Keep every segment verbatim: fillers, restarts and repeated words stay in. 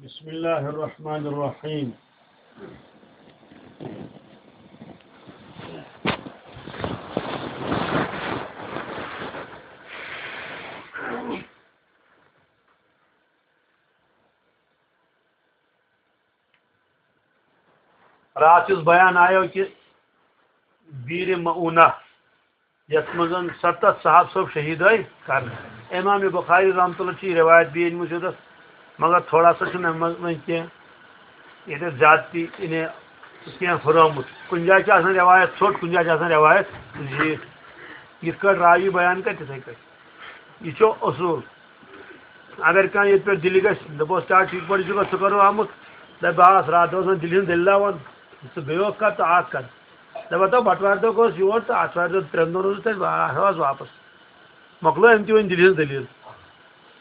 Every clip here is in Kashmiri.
بسم الله الرحمن الرحيم. راتھ یُس بیان آیو کہِ بیٖرِ مَعوٗنہ، یَتھ منٛز ستتھ صحابہٕ صٲب شہیٖد آے کرنہٕ۔ امام بخاری رحمتہ اللہ چھِ یہِ روایت بیٚیہِ أنمٕژ یوٚتَس، مگر تھوڑا سا چھُنہٕ اَمہِ منٛز وۄنۍ کینٛہہ، ییٚتٮ۪تھ زیادتی یعنی کینٛہہ ہُرٲومُت۔ کُنہِ جایہِ چھِ آسان روایت ژھوٚٹ، کُنہِ جایہِ چھِ آسان روایت زیٖٹھ۔ یِتھ کٲٹھۍ راوی بیان کرِ، تِتھَے کٲٹھۍ۔ یہِ چھُ اصوٗل۔ اگر کانٛہہ ییٚتہِ پٮ۪ٹھ دِلہِ گژھِ، دَپوس، "کیٛاہ ٹھیٖک پٲٹھۍ چھُکھا، ژٕ کَرو آمُت؟" دَپہِ، "بہٕ آس راتھ دۄہَس دِلہِ ہٕنٛز دٔلیٖلہ وَن، ژٕ بیٚیہِ اوکھ کَر تہٕ اَکھ کَر۔" دَپان، "تَو بَٹوارِ دۄہ گوٚژھ یور تہٕ آتھوارِ دۄہ ترٛٮ۪ن دۄہَن روٗزُس تَتہِ، بہٕ آس واپَس۔" مۄکلٲو أمۍ تہِ وۄنۍ دِلہِ ہٕنٛز دٔلیٖل۔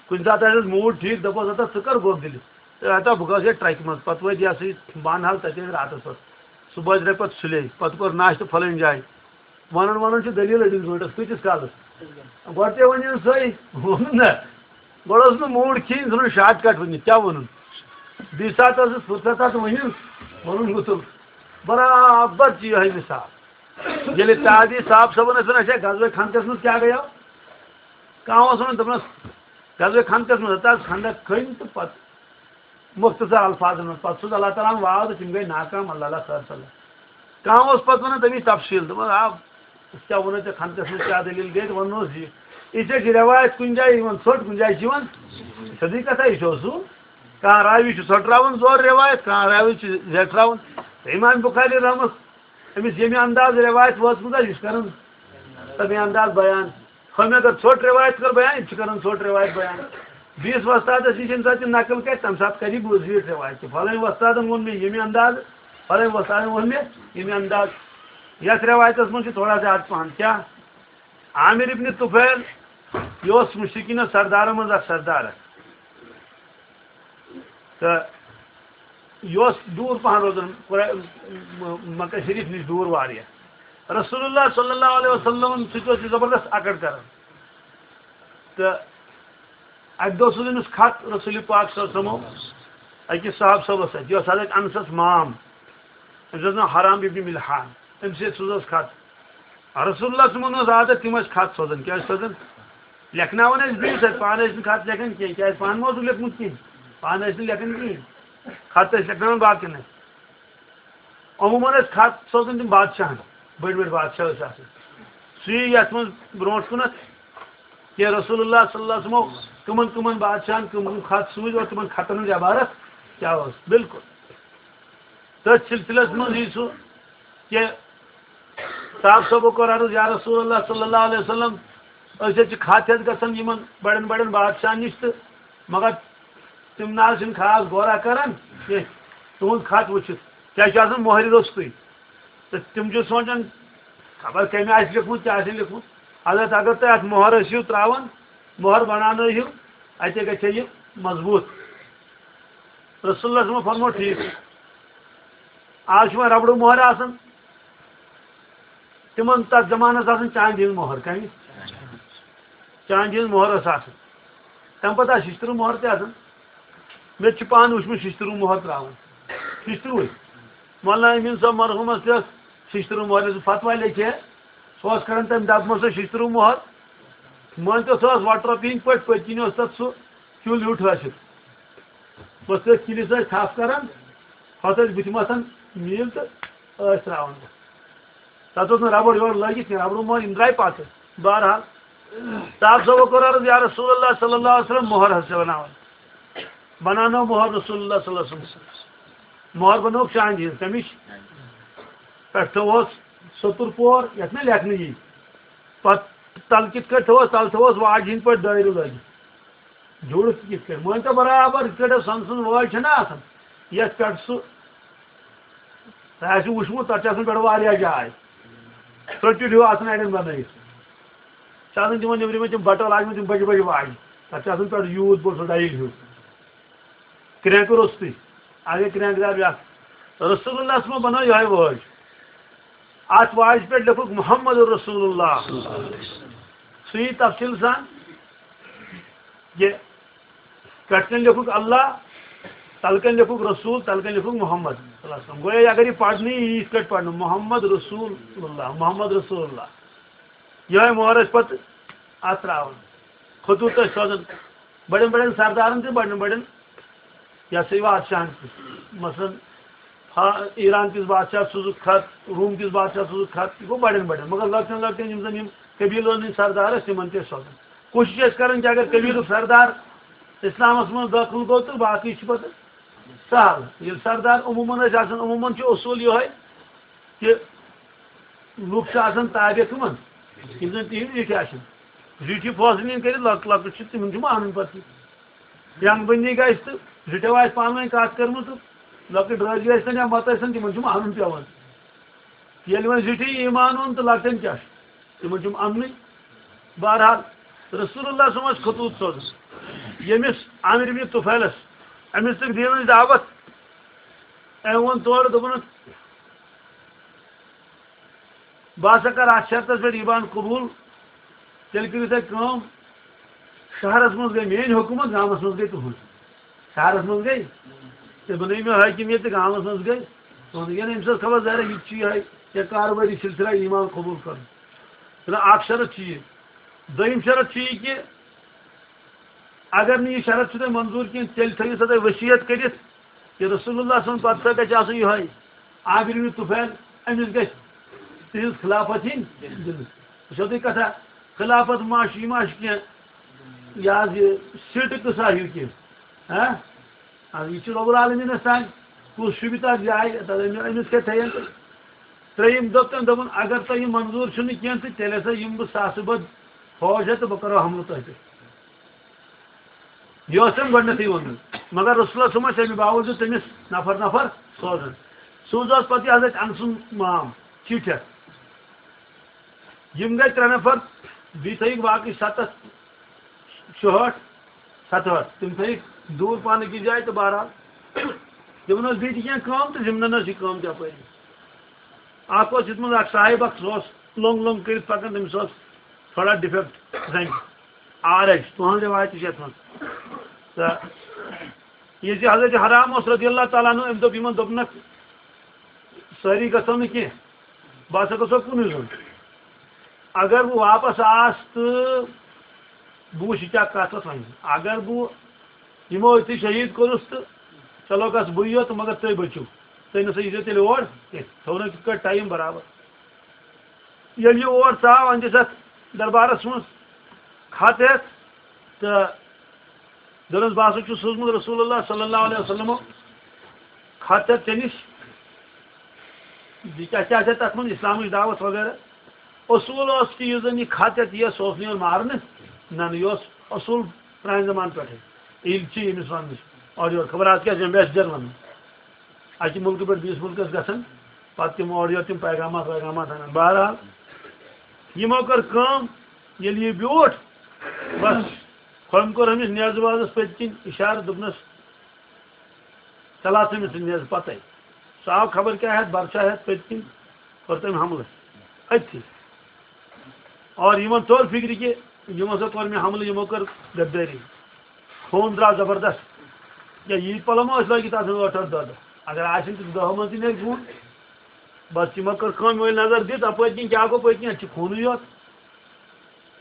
کُنہِ ساتہٕ آسٮ۪س موٗڈ ٹھیٖک، دَپوس، "ہَتا ژٕ کَر گوٚو دِلہِ؟" تہٕ ہَتا بہٕ گوس یَتھ ٹرٛکہِ منٛز، پَتہٕ وٲتۍ یہِ ہسا یہِ بانہال تَتہِ ٲسۍ راتَس پَتہٕ۔ صُبحٲے درٛاے پَتہٕ سُلے، پَتہٕ کوٚر ناشتہٕ پھلٲنۍ جایہِ۔ وَنان وَنان چھِ دٔلیٖل أڑِس گٲنٛٹَس، کۭتِس کالَس؟ گۄڈٕ تہِ ؤنِو سۄے، ووٚنُن نہ۔ گۄڈٕ اوس نہٕ موٗڈ کِہیٖنۍ، ژھٕنُن شارٹ کٹ ؤنِتھ، کیٛاہ وَنُن؟ بیٚیہِ ساتہٕ ٲسٕس فرصت اَتھ ؤنِو، وَنُن گُتُل۔ برابر چھِ یِہوٚے مِثال۔ ییٚلہِ تازی صاحب صٲبَن ٲسۍ وَنان، "اچھا، غزوہ خندقَس منٛز کیٛاہ گٔیو؟" کانٛہہ اوس وَنان، دوٚپنَس، "غزوہ خندقَس منٛز ہَتہٕ حظ خندق کھٔنۍ تہٕ پَتہٕ مختصر الفاظن منٛز، پتہٕ سوٗز اللہ تعالیٰ ہن واو تہٕ تِم گٔے ناکام، اللہ اللہ خٲر صلی اللہ۔" کانٛہہ اوس پتہٕ ونان تَمِچ تفصیٖل، دوٚپُن، "آ، أسۍ کیٛاہ وَنو ژےٚ، خندقس منٛز کیٛاہ دٔلیٖل گٔے؟" تہٕ وَننَس یہِ، یہِ چھےٚ چھِ رٮ۪وایت کُنہِ جایہِ یِوان ژھوٚٹ، کُنہِ جایہِ چھِ یِوان سیوٚدُے کَتھا، یہِ چھُ اصوٗل۔ کانٛہہ راوی چھُ ژھۄٹراوان زورٕ رٮ۪وایت، کانٛہہ راوی چھُ زیٹھراوان۔ تہٕ امام بخاری رحمس، أمِس ییٚمہِ انداز رٮ۪وایت وٲژمٕژ آسہِ، یہِ چھُ کران تَمے انداز بیان۔ ہُمۍ اگر ژھوٚٹ رِوایت کٔر بیان، یِم چھِ کران ژھوٚٹ رِوایت بیان۔ بیٚیِس وۄستادَس نِش ییٚمہِ ساتہٕ یِم نقل کرِ، تَمہِ ساتہٕ کرِ یہِ زیٖٹھ رِوایت تہِ۔ فلٲنۍ وۄستادَن ووٚن مےٚ ییٚمہِ انداز، فلٲنۍ وۄستادَن ووٚن مےٚ ییٚمہِ انداز۔ یَتھ رِوایتَس منٛز چھِ تھوڑا زیادٕ پَہَن۔ کیٛاہ؟ عامر ابن طفیل، یہِ اوس مُشرِکیٖنَن سردارَن منٛز اَکھ سردار اَکھ۔ تہٕ یہِ اوس دوٗر پَہَن روزان، قرا-، م-، مکہ شریٖف نِش دوٗر واریاہ۔ رسول اللہ صلی اللہ علیہ وسلم سۭتۍ اوس یہِ زبردست اکڑ کران۔ تہٕ اَکہِ دۄہ سوٗز أمِس خط رسول پاک صلی اللہ علیہ وسلمو أکِس صحابہٕ صٲبَس سۭتۍ، یہِ اوس حضرت انسَس مام، أمِس اوس ناو حرام ابن ملحان، أمِس سۭتۍ سوٗزُس خط۔ رسول اللہ صلی اللہ علیہ وسلمن اوس عادت، تِم ٲسۍ خط سوزان۔ کیٛاہ ٲسۍ سوزان؟ لیکھناوان ٲسۍ بیٚیِس سۭتۍ، پانہٕ ٲسۍ نہٕ خط لیکھان کینٛہہ، کیٛازِ پانہٕ ما اوسُکھ لیوٚکھمُت کِہیٖنۍ، پانہٕ ٲسۍ نہٕ لیکھان کِہیٖنۍ، خط ٲسۍ لیکھناوان باقین ٲسۍ۔ عموٗمَن ٲسۍ خط سوزان تِم بادشاہن، بٔڑۍ بٔڑۍ بادشاہ ٲسۍ آسان۔ سُہ یی یَتھ منٛز برونٛٹھ کُنَتھ کہِ رسول اللہ صلی اللہ علیہ وسلمو کٕمَن کٕمَن بادشاہن کٕم کٕم خط سوٗزۍ اور تِمَن خطن ہٕنٛز عبارت کیٛاہ ٲس۔ بالکل۔ تٔتھۍ سلسلس منٛز یی سُہ کہِ صاحب صٲبو کوٚر عرض، "یا رسول اللہ صلی اللہ علیہ وسلم، أسۍ حظ چھِ خط ہٮ۪تھ گژھان یِمن بڑٮ۪ن بڑٮ۪ن بادشاہن نِش تہٕ مگر تِم نہ حظ چھِنہٕ خاص غورا کران کینٛہہ تُہُنٛد خط وٕچھِتھ، کیٛازِ چھُ آسان مۄہرِ روٚستُے۔ تہٕ تِم چھِ سونٛچان خبر کٔمۍ آسہِ لیوٚکھمُت، کیٛاہ آسہِ لیوٚکھمُت۔ حضرت اگر تُہۍ اَتھ مۄہر ٲسِو ترٛاوان، مۄہر بناونٲیِو، اَتے گژھِ یہِ مضبوٗط۔" رسول اللہ صٲبن فرموو، "ٹھیٖک چھُ۔" آز چھُ وۄنۍ ربڑٕ مۄہر آسان، تِمن تتھ زمانس آسان چاندِ ہٕنٛز مۄہر، کمہِ؟ چاندِ ہٕنٛز مۄہر ٲس آسان۔ تمہِ پتہٕ آسہٕ شِشتٕروٗ مۄہر تہِ آسان۔ مےٚ تہِ چھُ پانہٕ وُچھمُت شِشتٕروٗ مۄہر تراوان۔ شِشتٕروٗے۔ مولانا امیٖن صٲب مرحوٗمس تہِ ٲس شِشتٕروٗ مۄہر، یُس فتوا لیکھِ ہے، سُہ اوس کران تمہِ ڈبہٕ منٛز سۄ شِشتٕروٗ مۄہر۔ مٲنۍ تو سۄ ٲس وۄٹہٕ رۄپیہِ ہٕنٛدۍ پٲٹھۍ، پٔتۍ کِنۍ اوس تتھ سُہ کیُل ہیوٗ ٹھٲسِتھ۔ بس تٔتھۍ کِلِس ٲسۍ تھپھ کران، ہۄتھ ٲسۍ بٕتھِ مَتھان نیٖل تہٕ ٲسۍ ترٛاوان۔ تَتھ اوس نہٕ ربڑ یورٕ لٲگِتھ کینٛہہ، ربڑو مۄہر یِم درٛاے پَتہٕ۔ بہرحال، صاحب صٲبو کوٚر عرض، "یا رسول اللہ صلی اللہ علیہ وسلم، مۄہر حظ چھِ بناوان۔" بناونٲو مۄہر رسول اللہ صلی اللہ علیہ وسلم۔ مۄہر بنٲوٕکھ چاندِ ہِنٛز، تَمِچ پٮ۪ٹھ تھٲوہوس ستُر پور، یَتھ نہٕ لیکھنہٕ یی۔ پَتہٕ تَلہٕ کِتھ کٲٹھۍ تھٲوہوس؟ تَلہٕ تھٲوہوس واجہِ ہِنٛدۍ پٲٹھۍ دٲیرٕ لٲگِتھ۔ جُڑتھ کِتھ کٲٹھۍ؟ مٲنۍ تو برابر یِتھ کٲٹھۍ سۄنہٕ سٕنٛز وٲج چھَنہ آسان، یَتھ پٮ۪ٹھ سُہ تۄہہِ آسِوٕ وٕچھمُت، تَتھ چھِ آسان پٮ۪ٹھٕ واریاہ جاے۔ ژٔٹِتھ ہیوٗ آسان اَڑٮ۪ن بَنٲیِتھ۔ چھِ آسان تِمَن نیٚبرِمٮ۪ن تِم بَٹَن لاجمٕتۍ، تِم بَجہِ بَجہِ واجہِ۔ تَتھ چھِ آسان پٮ۪ٹھٕ یوٗت بوٚڑ سُہ ڈایِل ہیوٗ۔ کرٛینٛکہٕ روٚستُے۔ اَگَے کرٛینٛکہٕ دار بیٛاکھ۔ رسول اللہ صٲبَن بَنٲو یِہوٚے وٲج۔ اَتھ واجہِ پٮ۪ٹھ لیوٚکھُکھ محمد رسول اللہ۔ سُہ یی تفصیٖل سان۔ یہِ پٮ۪ٹھ کَنۍ لیوٚکھُکھ اللہ، تَلہٕ کَنۍ لیکھُکھ رسول، تَلہٕ کَنۍ لیکھُکھ محمد صلی اللہ علیہ وسلم۔ گویا اگر یہِ پَرنہٕ یی یِتھ کٲٹھۍ پَرنہٕ، محمد رسول اللہ، محمد رسول اللہ، یِہوٚے مۄہر ٲسۍ پَتہٕ اَتھ ترٛاوان۔ خطوٗط ٲسۍ سوزان بَڑٮ۪ن بَڑٮ۪ن سردارَن تہٕ بَڑٮ۪ن بَڑٮ۪ن، یہِ ہسا یہِ، بادشاہَن تہِ۔ مثلاً، فا-، ایران کِس بادشاہَس سوٗزُکھ خط، روم کِس بادشاہَس سوٗزُکھ خط، یہِ گوٚو بَڑٮ۪ن بَڑٮ۪ن۔ مگر لۄکٹٮ۪ن لۄکٹٮ۪ن یِم زَن یِم قبیٖلَن ہٕنٛدۍ سردار ٲسۍ، تِمَن تہِ ٲسۍ سوزان۔ کوٗشِش ٲسۍ کَران کہِ اگر قبیٖلُک سردار اِسلامَس منٛز دٲخٕل گوٚو تہٕ باقٕے چھِ پَتہٕ سہل۔ ییٚلہِ سردار عموٗمَن ٲسۍ آسان، عموٗمَن چھُ اصوٗل یِہوٚے کہِ لُکھ چھِ آسان تابع کٕمَن؟ یِم زَن تِہِنٛدۍ زِٹھۍ آسَن۔ زِٹھۍ فٲصلہٕ نِن کٔرِتھ، لۄکٕٹۍ لۄکٕٹۍ چھِ، تِمَن چھُ مانُن پَتہٕ۔ ینگ بندی گژھِ تہٕ زِٹھیو آسہِ پانہٕ ؤنۍ کَتھ کٔرمٕژ تہٕ لۄکٕٹۍ درٛٲجی ٲسۍ تَن یا مَتہٕ ٲسۍ تَن، تِمَن چھُ مانُن پٮ۪وان۔ ییٚلہِ وۄنۍ زِٹھی ایمان اوٚن تہٕ لۄکٹٮ۪ن کیٛاہ چھُ؟ تِمَن چھُم اَننُے۔ بہرحال، رسول اللہ صٲب اوس خطوٗط سوزان ییٚمِس عامر ابن طفیلَس، أمِس تہِ دیٖنٕچ دعوت۔ أمۍ ووٚن تورٕ، دوٚپُن، بہٕ ہسا کَرٕ اَتھ شرطَس پٮ۪ٹھ ایمان قبوٗل، تیٚلہِ کٔرِو تُہۍ کٲم، شہرَس منٛز گٔے میٛٲنۍ حکوٗمت، گامَس منٛز گٔے تُہٕنٛز۔ شہرَس منٛز گٔے، تُہۍ بَنٲیِو مےٚ حٲکِم ییٚتہِ، گامَس منٛز گٔے تُہٕنٛز۔ یعنی أمِس ٲس خبر ظٲہِر، یہِ تہِ چھُ یِہوٚے، یا کاروبٲری سلسلہ ایمان قبوٗل کَرُن۔ چھُنہ اَکھ شرط چھُ یہِ۔ دوٚیِم شرط چھُ یہِ کہِ اگر نہٕ یہِ شرط چھُ تۄہہِ منظوٗر کینٛہہ، تیٚلہِ تھٲیِو سا تُہۍ ؤصیت کٔرِتھ، یہِ رسول اللہ صلی اللہ علیہ وسلم پتہٕ سا گژھِ آسُن یِہوٚے عامر بن طفیل، أمِس گژھِ تِہنٛز خلافت یِنۍ دِنہٕ۔ وٕچھو تُہۍ کتھا، خلافت ما چھِ، یہِ ما چھِ کینٛہہ، یہِ حظ یہِ سیٖٹہٕ قٕصہ ہیوٗ کینٛہہ، ہاں؟ اَدٕ یہِ چھُ رب العالمیٖنَس تام، کُس شوٗبہِ تَتھ جایہِ، تَتھ أمِس، أمِس کیٛاہ تھٲیِن؟ ترٛیٚیِم دوٚپ تٔمۍ، دوٚپُن، اگر تۄہہِ یہِ منظوٗر چھُنہٕ کینٛہہ، تہٕ تیٚلہِ ہسا یِمہٕ بہٕ ساسہٕ بٔدۍ فوج ہٮ۪تھ تہٕ بہٕ کرو حملہٕ تۄہہِ پٮ۪ٹھ۔ یہِ اوس تٔمۍ گۄڈٕنیتھٕے ووٚنمُت۔ مگر رسول اللہ صٲب ٲسۍ اَمہِ باوجوٗد تٔمِس نفر نفر سوزان۔ سوٗز اوس پتہٕ یہِ حضرت انس سُنٛد مام چِٹھۍ ہٮ۪تھ۔ یِم گٔے ترٛےٚ نفر، بیٚیہِ تھٲیِکھ باقٕے ستتھ، شُہٲٹھ، ستہٲٹھ۔ تِم تھٲیِکھ دوٗر پہن أکِس جایہِ تہٕ بہرحال تِمن ٲس بیٚیہِ تہِ کینٛہہ کٲم تہٕ ضِمنن ٲس یہِ کٲم تہِ اپٲری۔ اکھ اوس یتھ منٛز اکھ صاحب اکھ، سُہ اوس لوٚنگ لوٚنگ کٔرِتھ پکان، تٔمِس اوس تھوڑا ڈِفیکٹ زنٛگہِ، عارج، تُہنٛز رِوایت تہِ چھِ یتھ منٛز۔ تہٕ یہِ زِ حضرت حرام اوس رضی اللہ تعالیٰ عنہ، أمۍ دوٚپ یِمن، دوٚپنکھ، سٲری گژھو نہٕ کینٛہہ، بہٕ ہسا گژھو کُنُے زوٚن۔ اگر بہٕ واپس آس تہٕ بہٕ وٕچھٕ کیٛاہ کتھ ٲس وۄنۍ۔ اگر بہٕ یِمو أتھی شہیٖد کوٚرُس تہٕ چلو گژھٕ بٕے یوت، مگر تُہۍ بٔچِو، تُہۍ نہ سا ییٖزیو تیٚلہِ اور کینٛہہ، تھوٚو نہٕ تِتھ کٲٹھۍ ٹایم برابر۔ ییٚلہِ یہِ اور ژاو، أمۍ دِژ اَتھ دربارس منٛز خط ہٮ۪تھ تہٕ دوٚپنَس، بہٕ ہسا چھُس سوٗزمُت رسول اللہ صلی اللہ علیہ وسلمو خط ہٮ۪تھ ژےٚ نِش۔ یہِ کیٛاہ کیٛاہ چھےٚ تَتھ منٛز اِسلامٕچ دعوت وغیرہ؟ اصوٗل اوس کہِ یُس زَن یہِ خط ہٮ۪تھ یِیہِ، سُہ اوس نہٕ یِوان مارنہٕ، نہ، نہ، یہِ اوس اصوٗل پرٛانہِ زمانہٕ پٮ۪ٹھَے۔ ییٚلہِ چھِ ییٚمِس وَننہٕ چھِ اورٕ یورٕ، خبر آز کیٛاہ چھِ یِم ambassador وَنان۔ اَکہِ مُلکہٕ پٮ۪ٹھ بیٚیِس مُلکَس گژھان، پَتہٕ تِم اورٕ یورٕ تِم پیغامات ویغامات اَنان۔ بہرحال، یِمو کٔر کٲم، ییٚلہِ یہِ بیوٗٹھ، بَس، ہُمۍ کوٚر أمِس نیزٕ وازَس پٔتۍ کِنۍ اِشارٕ، دوٚپنَس، ژےٚ لاژٕے مےٚ سُہ نیزٕ پَتَے۔ سُہ آو خبر کیٛاہ ہٮ۪تھ، بَرچھا ہٮ۪تھ پٔتۍ کِنۍ، کوٚر تٔمۍ حملہٕ أتھی۔ اور یِمَن توٚر فِکرِ کہِ یِمو سا کوٚر مےٚ حملہٕ، یِمو کٔر غدٲری۔ خوٗن درٛاو زبردست۔ یا ییٖتۍ پَلو ما ٲسۍ لٲگِتھ آسان ٲٹھ ٲٹھ دَہ دَہ؟ اگر آسن تہٕ دَہو منٛز تہِ نیرِ خوٗن۔ بَس یِمو کٔر کٲم، یِمو ییٚلہِ نظر دِژ، اَپٲرۍ کِنۍ کیٛاہ گوٚو، پٔتۍ کِنۍ اَتہِ چھُ خوٗنٕے یوت۔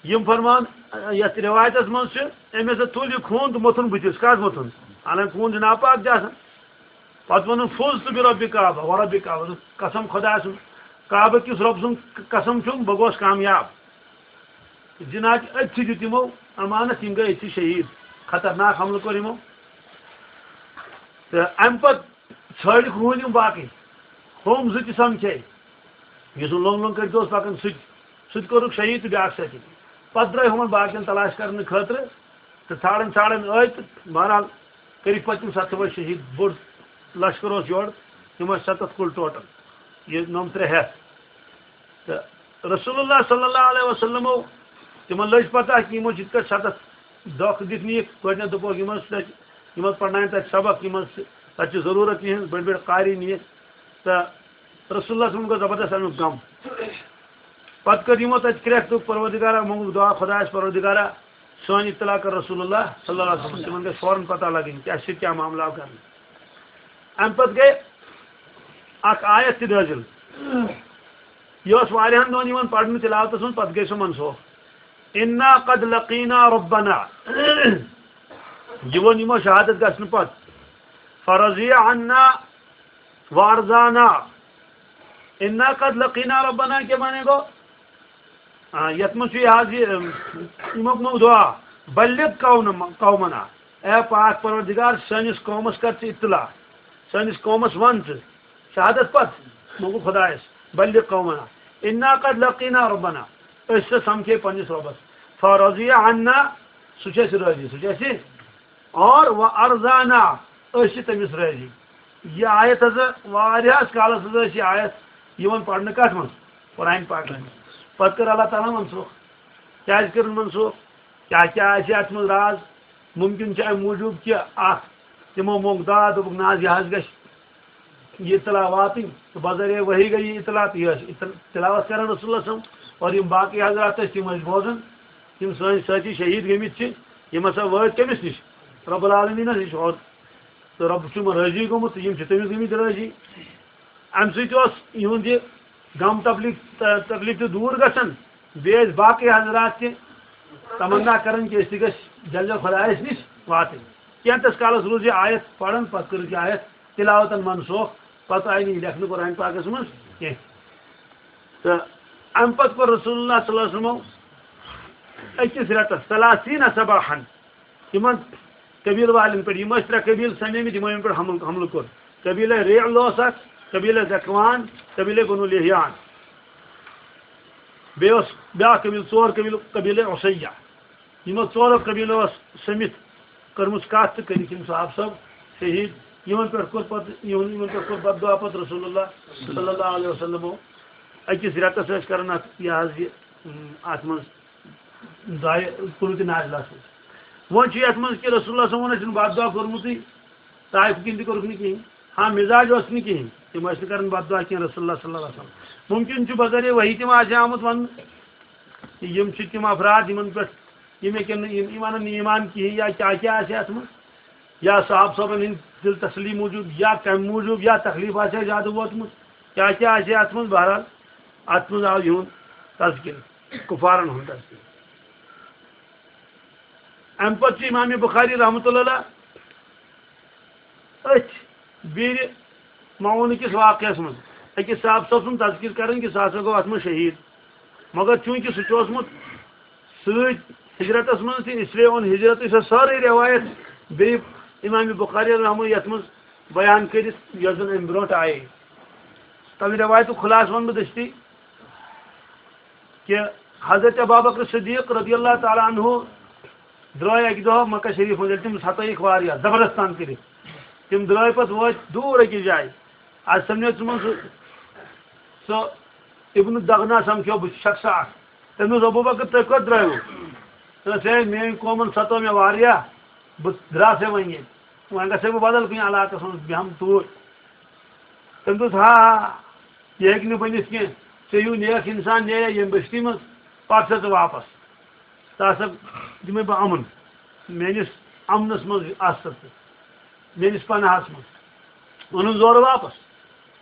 یِم فرمان یَتھ رِوایتَس منٛز چھِ، أمۍ ہسا تُل یہِ خوٗن تہٕ موٚتھُن بٕتھِس۔ کَتھ موٚتھُن؟ حالانکہِ خوٗن چھُ ناپاک تہِ آسان۔ پَتہٕ ووٚنُن، "فُزتُ بِرَبِّ کعبہ و رَبِّ کعبہ"، قسم خۄداے سُنٛد، کعبہٕ کِس رۄب سُنٛد قسم چھُم، بہٕ گوس کامیاب۔ جِناب، أتھی دیُت یِمو امانت، یِم گٔے أتھی شہیٖد۔ خطرناک حملہٕ کوٚر یِمو۔ تہٕ اَمہِ پَتہٕ ژھٲنٛڈِکھ ہوٗنۍ یِم باقٕے، ہوم زٕ تہِ سَمکھے۔ یُس نہٕ لوٚنٛگ لوٚنٛگ کٔرِتھ اوس پَکان، سُہ تہِ، سُہ تہِ کوٚرُکھ شہیٖد تہٕ بیٛاکھ سۭتۍ۔ پَتہٕ درٛاے ہُمَن باقیَن تلاش کَرنہٕ خٲطرٕ تہٕ ژھانٛڈان ژھانٛڈان ٲے تہٕ بہرحال کٔرِکھ پَتہٕ تِم سَتھ سَوٲے شہیٖد۔ بوٚڑ لشکر اوس یورٕ، تِم ٲسۍ سَتَتھ کُل ٹوٹل، یہِ نَمترٛےٚ ہٮ۪تھ۔ تہٕ رسول اللہ صلی اللہ علیہ وسلمو، تِمن لٔج پتہ کہِ یِمو چھِ یِتھ کٲٹھۍ سَتَتھ دھوکہٕ دِتھ نِیِکھ۔ گۄڈٕنٮ۪تھ دوٚپُکھ، یِمن سۭتۍ، یِمن پرناوَن تَتہِ سبق، یِمن سۭتۍ، تَتہِ چھِ ضروٗرت یِہٕنٛز، بٔڑۍ بٔڑۍ قاری نِیِکھ۔ تہٕ رسول اللہ صلی اللہ علیہ وسلم گوٚو زبردست اَمیُک غم۔ پتہٕ کٔر یِمو تَتہِ کرٛٮ۪کھ، دوٚپ، "پروردگارا"، موٚنگُکھ دُعا، "خۄدایَس پروردگارا، سٲنۍ اطلاع کر رسول اللہ صلی اللہ علیہ وسلم"۔ تِمن گژھِ فوراً پتہ لگٕنۍ کہِ اَسہِ چھِ کیٛاہ معاملہ آو کرنہٕ۔ اَمہِ پتہٕ گٔے اکھ آیت تہِ نٲزِل۔ یہِ اوس واریاہن دۄہن یِوان پرنہٕ تلاوتس منٛز، پتہٕ گٔے سۄ منسوخ۔ انا قد لقینا ربنا۔ یہِ ووٚن یِمو شہادت گژھنہٕ پتہٕ۔ فرضی عنا وارضانا۔ انا قد لقینا ربنا کیٛاہ معنی گوٚو؟ آ، یتھ منٛز چھُ یہِ حظ یہِ، اَم، اَمیُک مو دعا، بلغ قوم-، قومنا، اے پاک پروردگار، سٲنِس قومس کر ژٕ اطلاع، سٲنِس قومس ون ژٕ، شہادت پتہٕ، مو گوٚو خدایس، بلغ قومنا، انا قد لقینا ربنا، أسۍ ہسا سمکھے پننِس رۄبس، فرضی عنا، سُہ چھُ اَسہِ رٲضی، سُہ چھُ اَسہِ اور و ارضانا، أسۍ چھِ تٔمِس رٲضی۔ یہِ آیت ہسا واریاہس کالس ہسا ٲس یہِ آیت یِوان پرنہٕ کتھ منٛز؟ قرآن پاکس منٛز۔ پتہٕ کٔر اللہ تعالیٰ ہن منسوخ۔ کیازِ کٔرٕن منسوخ؟ کیاہ کیاہ آسہِ اتھ منٛز راز؟ ممکن چھُ امہِ موٗجوٗب کہِ اکھ، تِمو مۄنگ دعا، دوٚپُکھ، نہ حظ، یہِ حظ گژھِ یہِ اطلاع واتٕنۍ، تہٕ بذریعہ وحی گٔے یہِ اطلاع، تہٕ یہِ ٲسۍ اطل-، تلاوت کران رسول اللہ صلی اللہ علیہ وسلم، اور یِم باقٕے حضرات ٲسۍ، تِم ٲسۍ بوزان، یِم سٲنۍ سٲتھی شہیٖد گٔمٕتۍ چھِ، یِم ہسا وٲتۍ کٔمِس نِش؟ رب العالمیٖنس نِش، اور تہٕ رب چھُ یِمن رٲضی گوٚمُت، تہٕ یِم چھِ تٔمِس گٔمٕتۍ رٲضی۔ امہِ سۭتۍ اوس یِہُنٛد یہِ غم تکلیف، تکلیف تہِ دوٗر گژھان، بیٚیہِ ٲسۍ باقٕے حضرات تہِ تمنا کران کہِ أسۍ تہِ گٔژھۍ جل جل خدایس نِش واتٕنۍ۔ کینٛژس کالس روٗز یہِ آیت پران، پتہٕ کٔرٕکھ یہِ آیت تلاوتن منسوخ، پتہٕ آیہِ نہٕ یہِ لیکھنہٕ قرآن پاکس منٛز کینٛہہ۔ تہٕ امہِ پتہٕ کوٚر رسول اللہ صلی اللہ علیہ وسلمو أکِس رٮ۪تس ثلاثین صباحن یِمن قبیلہٕ والٮ۪ن پٮ۪ٹھ، یِم ٲسۍ ترٛےٚ قبیلہٕ سمیمٕتۍ، یِمو یِمن پٮ۪ٹھ حملہٕ، حملہٕ کوٚر۔ قبیلہ رعل اوس اکھ، قبیلہ ذکوان، قبیلہ بنو لیحیان۔ بیٚیہِ اوس بیٛاکھ قبیٖلہٕ، ژور قبیٖلہٕ، قبیٖلہ عصیہ۔ یِمو ژورو قبیٖلو ٲس سٔمِتھ کٔرمٕژ کَتھ تہٕ کٔرِکھ یِم صحابہٕ صٲب شہیٖد۔ یِمن پٮ۪ٹھ کوٚر پَتہٕ، یِمن، یِمن پٮ۪ٹھ کوٚر بد دعا پَتہٕ رسول اللہ صلی اللہ علیہ وسلمو۔ أکِس رٮ۪تَس ٲسۍ کران اَتھ، یہِ حظ یہِ، اَم، اَتھ منٛز دعایہِ قنوٗتِ نازلہ سۭتۍ۔ وۄنۍ چھُ یَتھ منٛز کہِ رسول اللہ صٲبَن ٲسِن بد دعا کوٚرمُتٕے، طائف کِنۍ تہِ کوٚرُکھ نہٕ کِہیٖنۍ۔ ہاں، مِزاج اوس نہٕ کِہیٖنۍ، تِم ٲسۍ نہٕ کران بد دعا کینٛہہ رسول اللہ صلی اللہ علیہ وسلم۔ مُمکِن چھُ بذریعہ وحی تِم آسہِ آمُت وَننہٕ، یِم چھِ تِم افراد یِمن پٮ۪ٹھ یِم ہیٚکن نہٕ، یِم، یِم اَنن نہٕ ایٖمان کِہیٖنۍ، یا کیٛاہ کیٛاہ آسہِ اَتھ منٛز، یا صحابہٕ صٲبن ہِنٛدۍ دِل تسلی موٗجوٗب، یا کَمہِ موٗجوٗب، یا تکلیٖف آسہِ ہا زیادٕ ووتمُت، کیٛاہ کیٛاہ آسہِ ہا اَتھ منٛز۔ بہرحال، اَتھ منٛز آو یِہُنٛد تذکرٕ، کُفارن ہُنٛد تذکرٕ۔ اَمہِ پتہٕ چھُ امام بخاری رحمتہ اللہ علیہ أتھۍ بیٖرِ معوٗنہٕ کِس واقعس منٛز أکِس صحابہٕ صٲب سُنٛد تذکرٕ کران کہِ سُہ ہسا گوٚو اَتھ منٛز شہیٖد، مگر چوٗنٛکہِ سُہ چھُ اوسمُت سۭتۍ ہجرتس منٛز تہِ، اس لیے اوٚن ہجرتٕچ سۄ سٲرٕے رٮ۪وایت بیٚیہِ امام بخاری رحمہ یَتھ منٛز بیان کٔرِتھ، یۄس زن امہِ برونٛٹھ آیے۔ تَمہِ رٮ۪وایتُک خُلاصہٕ وَنہٕ بہٕ دٔستی کہِ حضرت ابابکر صدیق رضی اللہ تعالیٰ عنہ درٛاے اَکہِ دۄہ مکہ شریٖف منٛز، ییٚلہِ تِم ستٲیِکھ واریاہ زبردست تنگ کٔرِتھ۔ تِم درٛاے پتہٕ وٲتۍ دوٗر أکِس جایہِ۔ اَتہِ سَمنیو تِمن سُہ، سُہ ابن دغنا سمکھیو بہٕ شخص اکھ۔ تٔمۍ دوٚپ، "ابوبکر، تُہۍ کوٚت درٛایوٕ؟" تٔمۍ دوٚپ، "ہے، میٛٲنۍ قومن ستٲو مےٚ واریاہ، بہٕ درٛاس ہے وۄنۍ ییٚتہِ۔ وۄنۍ گژھٕ ہے بہٕ بدل کُنہِ علاقس منٛز، بیٚہمہٕ توٗرۍ۔" تٔمۍ دوٚپ، "ہا، ہا، یہِ ہیٚکہِ نہٕ بٔنِتھ کینٛہہ۔ ژےٚ ہیوٗ نیک انسان نیرِ ییٚمہِ بستی منٛز، پتہٕ ژٕ واپس۔ ژٕ ہسا دِمے بہٕ امن، میٲنِس امنس منٛز آس ژٕ، میٲنِس پناہس منٛز۔" اوٚنُن زورٕ واپس۔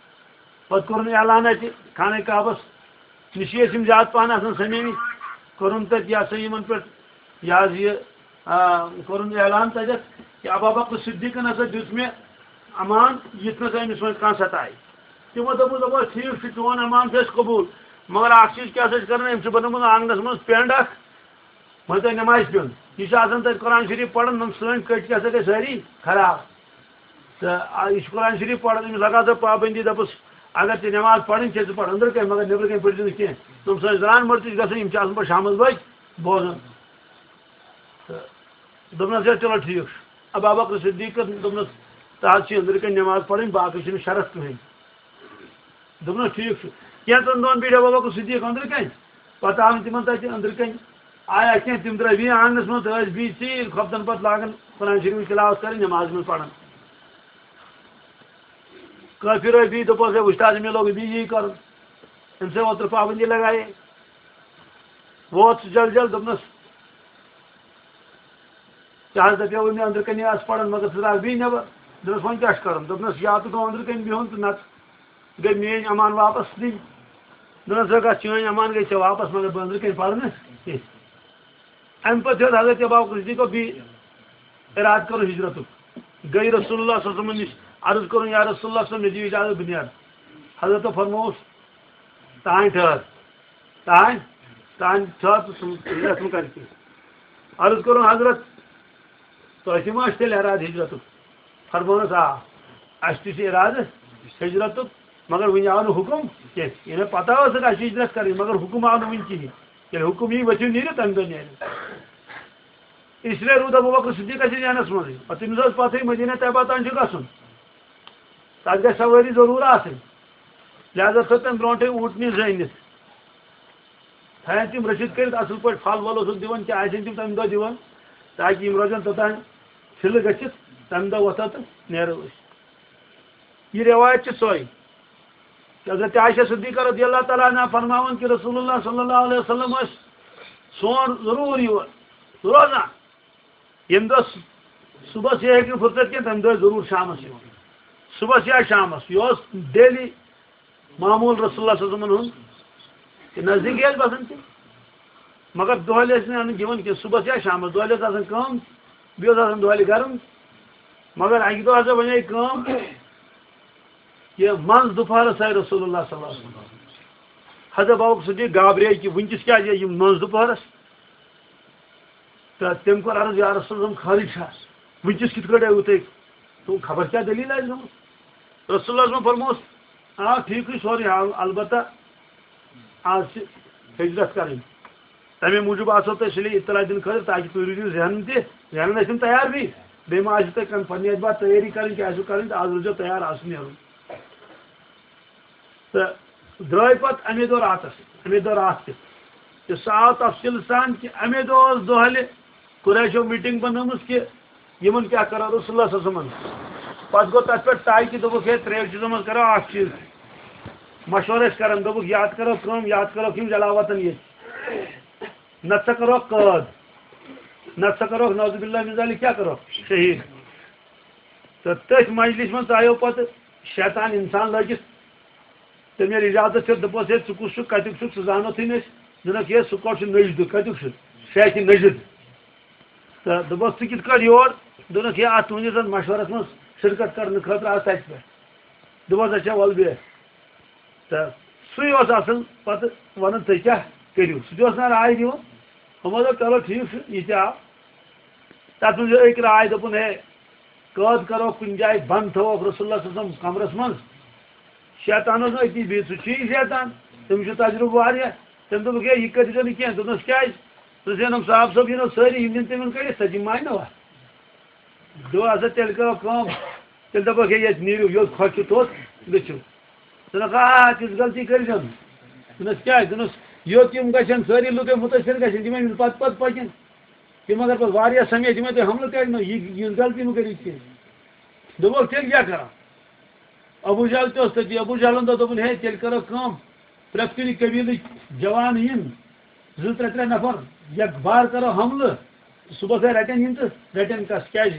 پتہٕ کوٚرُن اعلان اتہِ خانہ کعبس نِشی ٲسۍ یِم زیادٕ پہن آسان سمیمٕتۍ، کوٚرُن تتہِ یہِ ہسا یِمن پٮ۪ٹھ یہِ حظ یہِ، آ، کوٚرُن اعلان تتٮ۪تھ کہِ ابابکر صدیقن ہسا دیُت مےٚ امان، یُتھ نہٕ سا أمِس وۄنۍ کانٛہہ ستایہِ۔ تِمو دوٚپُس، "دَپُس، ٹھیٖک چھُ، چون امان چھُ اَسہِ قبوٗل، مگر اکھ چیٖز کیٛاہ سا چھِ کران، أمۍ چھُ بنومُت آنٛگنَس منٛز پٮ۪نٛڈ اکھ، وۄنۍ تۄہہِ نٮ۪مازِ پیوٚن، یہِ چھُ آسان تَتہِ قرآن شریٖف پَران، یِم سٲنۍ کٔٹۍ کیٛاہ سا گٔے سٲری خراب۔ تہٕ آ، یہِ چھُ قرآن شریٖف پَران، أمِس لگاو سا پابندی، دَپُس، اگر ژےٚ نٮ۪ماز پَرٕنۍ چھےٚ، ژٕ پَر أنٛدرٕ کَنۍ، مگر نٮ۪برٕ کَنۍ پٔرۍزِ نہٕ کینٛہہ۔ یِم سٲنۍ زنان مٔڑ تہِ چھِ گژھان، یِم چھِ آسان پَتہٕ شامَس بٲگۍ بوزان۔" تہٕ دوٚپنَس، "ہے، چلو ٹھیٖک چھُ۔" ابابکر صدیقن دوٚپنَس، "تَتھ چھِ أنٛدرٕ کَنۍ نٮ۪ماز پَرٕنۍ، باقٕے چھِنہٕ شرط کٕہٕنۍ۔" دوٚپنَس، "ٹھیٖک چھُ۔" کینٛژَن دۄہَن بیٖٹھۍ ابابکر صدیق أنٛدرٕ کَنۍ، پَتہٕ آو نہٕ تِمَن تَتہِ أنٛدرٕ کَنۍ آیا کینٛہہ، تِم درٛاے بیٚیہِ آنٛگنَس منٛز، تہٕ ٲسۍ بیٚیہِ ژیٖرۍ خۄفتَن پَتہٕ لاگان قرآن شریٖفٕچ تلاوت کَرٕنۍ، نٮ۪مازِ منٛز پَران۔ کٲفِر ٲسۍ بیٚیہِ، دوٚپُکھ، "ہے، وٕچھ تہٕ حظ، مےٚ لوگ بیٚیہِ یی کَرُن، أمۍ سٕے اوترٕ پابندی لگایے۔" ووت سُہ جل جل، دوٚپنَس، "ژےٚ حظ دَپیووُے مےٚ أنٛدرٕ کَنہِ آس پَران، مگر ژٕ درٛاکھ بیٚیہِ نٮ۪بر۔" دوٚپنَس، "وۄنۍ کیٛاہ چھُ کَرُن؟" دوٚپنَس، "یا تہٕ گوٚو أنٛدرٕ کَنۍ بِہُن تہٕ نَتہٕ گٔے میٛٲنۍ امان واپَس نِنۍ۔" دوٚپنَس، "ہے گژھ، چٲنۍ امان گٔے ژےٚ واپَس، مگر بہٕ أنٛدرٕ کَنۍ پَرٕ نہٕ کینٛہہ۔" اَمہِ پَتہٕ ہیوٚت حضرت ابو بکر صدیقو بیٚیہِ اِرادٕ کوٚرُن ہِجرَتُک۔ گٔے رسول اللہ صلی اللہ علیہ وسلمَن نِش، عرض کوٚرُن، "یا رسول اللہ صلی اللہ علیہ وسلم، مےٚ دِیِو اِجازت، بہٕ نیرٕ۔" حضرتو فرمووُس، "تانۍ ٹھٔہر، تانۍ، تانۍ ٹھٔہر، ژٕ ژھُن ہِجرَت مہٕ کَر کینٛہہ۔" عرض کوٚرُن، "حضرت، تۄہہِ تہِ ما چھُ تیٚلہِ اِرادٕ ہِجرَتُک؟" فرموونَس، "آ، اَسہِ تہِ چھُ اِرادٕ ہِجرَتُک، مگر وٕنہِ آو نہٕ حُکُم کینٛہہ۔" یعنی پَتہ ٲس، اَسہِ چھِ ہِجرَت کَرٕنۍ، مگر حُکُم آو نہٕ وٕنہِ کِہیٖنۍ۔ ییٚلہِ حُکُم یی، ؤتھِو نیٖرِو، تَمہِ دۄہ نیرِ۔ اس لیے روٗد ابو بکر صدیق اَسہِ ذہنَس منٛزٕے۔ پَتہٕ تٔمِس ٲس پَتہٕے مدینہ طیبہ تام چھُ گژھُن۔ تَتھ گژھِ سوٲری ضروٗر آسٕنۍ۔ لہذا تھٲو تٔمۍ برونٛٹھٕے اوٗنٛٹنہِ زٲنِتھ۔ تھاون تِم رٔچھِتھ کٔرِتھ اَصٕل پٲٹھۍ، پھل وَل اوسُکھ دِوان، کیٛاہ آسن تِم تَمہِ دۄہ دِوان، تاکہِ یِم روزن توٚتام فِلہٕ گٔژھِتھ، تَمہِ دۄہ وۄتھو تہٕ نیرو أسۍ۔ یہِ رٮ۪وایت چھِ سۄے۔ حضرت عائشہ صدیقہ رضی اللہ تعالیٰ عنہ فرماوان کہِ رسول اللہ صلی اللہ علیہ وسلم ٲسۍ سون ضروٗر یور روزان۔ ییٚمہِ دۄہ صُبحس یہِ ہیٚکہِ نہٕ فرصت کینٛہہ، تَمہِ دۄہ ضروٗر شامَس یِوان۔ صُبحس یا شامَس، یہِ اوس daily معموٗل رسول اللہ صلی اللہ علیہ وسلمن ہُنٛد۔ تہٕ نزدیٖکٕے ٲسۍ بَسان تِم۔ مگر دۄہلہِ ٲسۍ نہٕ اَنٕنۍ دِوان کینٛہہ، صُبحس یا شامَس، دۄہلہِ ٲس آسان کٲم، بیٚیہِ اوس آسان دۄہلہِ گرم۔ مگر اَکہِ دۄہ ہسا بَنے کٲم، یہِ منٛز دُپہرَس آے رسول اللہ صلی اللہ علیہ وسلم۔ حضرت ابوبکر صدیق گابرے کہِ وٕنکیٚس کیٛازِ یِم منٛز دُپہرَس؟ تہٕ تٔمۍ کوٚر عرض، "یا رسول اللہ، خٲرٕے چھا؟ وٕنکیٚس کِتھ کٲٹھۍ آیوٕ تُہۍ؟ تہٕ خبر کیٛاہ دٔلیٖل آسہِ گٔمٕژ؟" رسول اللہ صلی اللہ علیہ وسلم فرموس، "آ، ٹھیٖکٕے چھُ سورُے حال، البتہ آز چھِ ہجرت کَرٕنۍ۔ تَمے موٗجوٗب آسو تۄہہِ سُلے اطلاع دِنہٕ خٲطرٕ، تاکہِ تُہۍ روٗزِو ذہنن تہِ، ذہنن ٲسِو تیار بیٚیہِ۔ بیٚیہِ ما آسہِ تۄہہِ کانٛہہ پننہِ اعتبار تیٲری کَرٕنۍ، کیٛاہ آسِو کَرٕنۍ، تہٕ آز روٗزیو تیار، آز چھُ نیرُن۔" تہٕ درٛاے پَتہٕ اَمے دۄہ راتَس، اَمے دۄہ راتھ تہِ۔ تہٕ سُہ آو تفصیٖل سان کہِ اَمے دۄہ ٲس دۄہلہِ قریشو meeting بنٲومٕژ کہِ یِمَن کیٛاہ کَرو رسول اللہ صلی اللہ علیہ وسلمَن۔ پَتہٕ گوٚو تَتھ پٮ۪ٹھ طے کہِ دوٚپُکھ، "ہے، ترٛیٚیو چیٖزو منٛز کَرو اَکھ چیٖز۔" مَشوَرٕ ٲسۍ کَران، دوٚپُکھ، "یا تہٕ کَرو کٲم، یا تہٕ کَرو یِم جلاوطن ییٚتہِ۔ نَتہٕ سا کَرو قٲد، نَتہٕ سا کَرو نعوذ باللہ من ذالک کیٛاہ کَرو؟ شہیٖد۔" تہٕ تٔتھۍ مجلِس منٛز ژایو پَتہٕ شیطان اِنسان لٲگِتھ۔ تٔمۍ ییٚلہِ اِجازت ہیوٚت، دوٚپُس، "ہے، ژٕ کُس چھُکھ، کَتیُک چھُکھ، ژٕ زانوتھٕے نہٕ أسۍ۔" دوٚپنَکھ، "ہے، سُہ کوٚت چھُ نٔجدٕ، کَتیُک چھُ؟ شیخِ نٔجد۔" تہٕ دوٚپُس، "ژٕ کِتھ کٲٹھۍ یور؟" دوٚپنَکھ، "ہے، اَتھ تُہٕنٛدِس اَتھ مَشوَرَس منٛز شِرکت کَرنہٕ خٲطرٕ آو تَتہِ پٮ۪ٹھ۔" دوٚپُس، "اچھا، وَلہٕ بیٚہہ۔" تہٕ سُے اوس اَصٕل پَتہٕ وَنان، "تُہۍ کیٛاہ کٔرِو؟" سُہ تہِ اوس نہ راے دِوان۔ ہُمو دوٚپ، "چلو، ٹھیٖک چھُ، یہِ تہِ آو۔" تَتھ منٛز أکۍ راے، دوٚپُن، "ہے، قٲد کَرو کُنہِ جایہِ بنٛد، تھاووکھ رسول اللہ صلی اللہ علیہ وسلم کمرَس منٛز۔" شیطان اوس نہٕ أتی بِہِتھ، سُہ چھُ یی شیطان، تٔمِس چھُ تجرُبہٕ واریاہ۔ تٔمۍ دوٚپُکھ، "ہے، یہِ کٔرۍزیو نہٕ کینٛہہ۔" دوٚپنَس، "کیٛازِ؟" دوٚپنَس، "ہے، نۄم صاحب صٲب یِنو سٲری، یِم دِن تِمَن کٔڑِتھ، سۄ دِمہٕ مانہِ نہٕ وَتھ۔" دوٚپ، "اَدٕ سا تیٚلہِ کَرو کٲم، تیٚلہِ دَپوکھ، ہے، ییٚتہِ نیٖرِو، یوٚت خۄش چھُ توٚت گٔژھِو۔" دوٚپنَکھ، "آ، تِژھ غلطی کٔرۍزیو نہٕ۔" دوٚپنَس، "کیٛازِ؟" دوٚپنَس، "یوٚت یِم گژھن، سٲری لُکھ یِم مُتٲثِر گژھن، تِم أمِس پَتہٕ پَتہٕ پَکن۔ تِم اگر پَتہٕ واریاہ سَمے، تِم تہِ حملہٕ کَرِ نہٕ، یہِ، یِژھ غلطی مہٕ کٔرِو کینٛہہ۔" دوٚپُکھ، "تیٚلہِ کیٛاہ کَرو؟" ابو جہل تہِ اوس تٔتی۔ ابو جہلن دوٚپ، دوٚپُن، "ہے، تیٚلہِ کَرو کٲم، پرٛٮ۪تھ کُنہِ قبیٖلٕکۍ جوان یِن، زٕ ترٛےٚ ترٛےٚ نفر، یکبار کَرو حملہٕ، صُبحس ہے رَٹن یِم تہٕ رَٹن کَس، کیٛازِ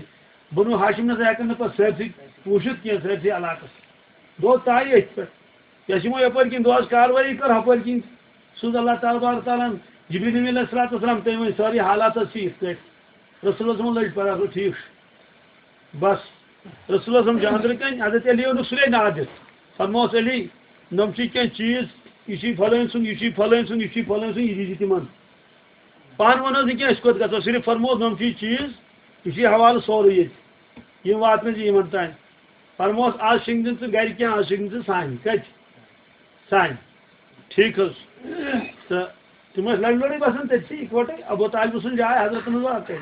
بنو ہاشم نہ ہٮ۪کن نہٕ پَتہٕ سٲرسٕے وٕچھِتھ کینٛہہ، سٲرسٕے علاقَس۔" گوٚو طے أتھۍ پٮ۪ٹھ۔ یہِ ٲسۍ یِمو یَپٲرۍ کِنۍ دۄہَس کاروٲیی کٔر، ہُپٲرۍ کِنۍ سوٗز اللہ تبارک تعالیٰ ہن جبریل امین علیہ الصلوۃ والسلام، تٔمۍ ؤنۍ سٲرٕے حالات ٲس یِتھ کٲٹھۍ۔ رسول اللہ صٲبن لٔج پَتہ، دوٚپ، "ٹھیٖک چھُ۔" بس، رسول اللہ صٲبن چھُ أنٛدرٕ کَنۍ حضرت علی یُن سُلے نادِتھ۔ فرموس، "علی، نۄم چھِ کینٛہہ چیٖز، یہِ چھُے فلٲنۍ سُنٛد، یہِ چھُے فلٲنۍ سُنٛد، یہِ چھُے فلٲنۍ سُنٛد، یہِ دیٖزِ تِمن۔" پانہٕ وَنو نہٕ کینٛہہ، أسۍ کوٚت گژھو، صرف فرموس، "نۄم چھِ یہِ چیٖز، یہِ چھُے حوالہٕ سورُے ییٚتہِ، یِم واتنٲیزِ یِمن تام۔" فرموس، "آز شِنگدِ نہٕ ژٕ گرِ کینٛہہ، آز شِنگدِ ژٕ سانہِ۔" کَتہِ؟ سانہِ۔ ٹھیٖک حظ۔ تہٕ تِم ٲسۍ لَڑِ لَڑِ بَسان تٔتھی اِکوَٹَے۔ ابو طالبہٕ سُنٛد جاے حضرتَن ٲس اَکٕے۔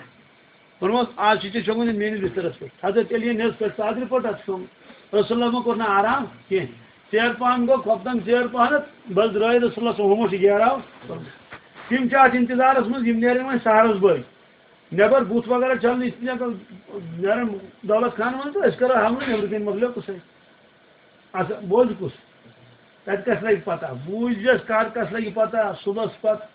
ووٚنمَس، "آز چھِ ژےٚ شۄنٛگُن یہِ میٛٲنِس بِستَرَس پٮ۪ٹھ۔" حضرت علی یَن ہیٚژ پٮ۪ٹھ ژادرِ پٔٹ اَتھ شۄنٛگ۔ رسول اللہ کوٚر نہٕ آرام کینٛہہ۔ ژیر پَہَن گوٚو، خۄفتَن ژیر پَہَنَتھ، بَس درٛاے رسول اللہ صٲب ہُمو چھِ گیراو۔ تِم چھِ اَتھ اِنتظارَس منٛز، یِم نیرَن وۄنۍ سحرَس بٲگۍ۔ نٮ۪بَر بُتھ وغیرہ چھَلنہٕ، یِتھ کٔنۍ نیرَن دولت خان وَنان تہٕ أسۍ کَرو حملہٕ، نٮ۪برٕ کَنۍ مۄکلیو قٕصَے۔ اَسا بوزِ کُس؟ تَتہِ کَس لَگہِ پَتہ؟ بوٗزِس کَر کَس لَگہِ پَتہ؟ صُبحَس پَتہٕ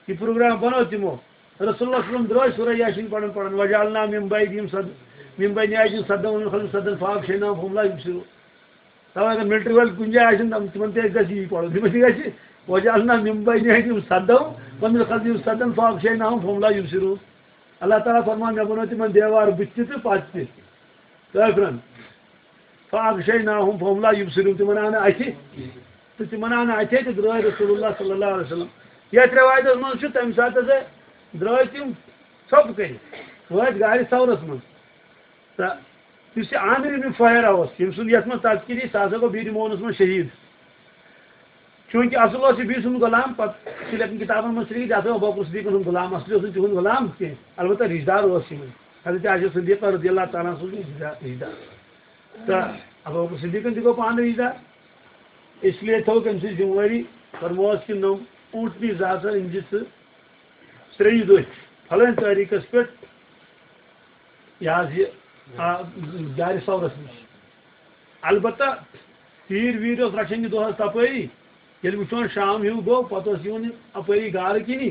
یہِ پروگرام بَنوو تِمو۔ رسول اللہ صلی اللہ علیہ وسلم درٛاے سورہ یاسین پَران پَران، "وجعلنا من بعدہم سد-، من بین ایدیہم سدا ومن خلفہم سدا فاغشیناہم فہم لا یبصرون۔ تَوَے اگر ملٹری وٲلۍ کُنہِ جایہِ آسن، تِم، تِمن تہِ آسہِ دٔسی پَرُن۔ تِمن تہِ گژھِ، وجعلنا من بین ایدیہم سدا ومن خلفہم سدا فاغشیناہم فہم لا یبصرون۔ اللہ تعالیٰ فرمان، مےٚ بنوو تِمن دیوار بٕتھِ تہِ تہٕ پتہٕ تہِ۔ کٲفرن۔ فاغشیناہم فہم لا یبصرون، تِمن آو نہٕ اَتھِ تہٕ تِمن آو نہٕ اَتھِ تہٕ درٛاے رسول اللہ صلی اللہ علیہ وسلم۔ یَتھ رِوایتَس منٛز چھُ، تَمہِ ساتہٕ ہسا درٛاے تِم ژھۄپہٕ کٔرِتھ، وٲتۍ غارِ ثورَس منٛز۔ تہٕ یُس یہِ عامر ابن فہیرہ اوس، ییٚمہِ سُنٛد یَتھ منٛز تذکرٕ یہِ، سُہ ہسا گوٚو بیٖرِ معونَس منٛز شہیٖد۔ چوٗنٛکہِ اصل اوس یہِ بیٚیہِ سُنٛد غلام، پتہٕ چھِ لیکن کِتابن منٛز چھِ لیکھِتھ، یہِ ہسا ابو بکر صدیقن ہُنٛد غلام، اصلی اوس نہٕ تِہُنٛد غلام کینٛہہ، البتہ رشتہٕ دار اوس یِمن۔ حضرت عائشہ صدیقہ رضی اللہ تعالیٰ عنہ اوس رشتہٕ دار۔ تہٕ ابو بکر صدیقن تہِ گوٚو پانہٕ رشتہٕ دار، اس لیے تھٲوٕکھ أمۍ سٕنٛز ذمہٕ وٲری، فرمووس کہِ نوٚم اوٗنٛٹنی زٕ ہسا أنۍ زِ ژٕ ترٛیٚیہِ دۄہہِ فلٲنۍ تٲریٖخس پٮ۪ٹھ، یہِ حظ یہِ، آ، دارِ ثورس نِش۔ البتہ تیٖر ویٖر اوس رچھان یہِ دۄہس تپٲری۔ ییٚلہِ وٕچھان شام ہیوٗ گوٚو، پتہٕ اوس یِوان یہِ اپٲری گارٕ کِنی۔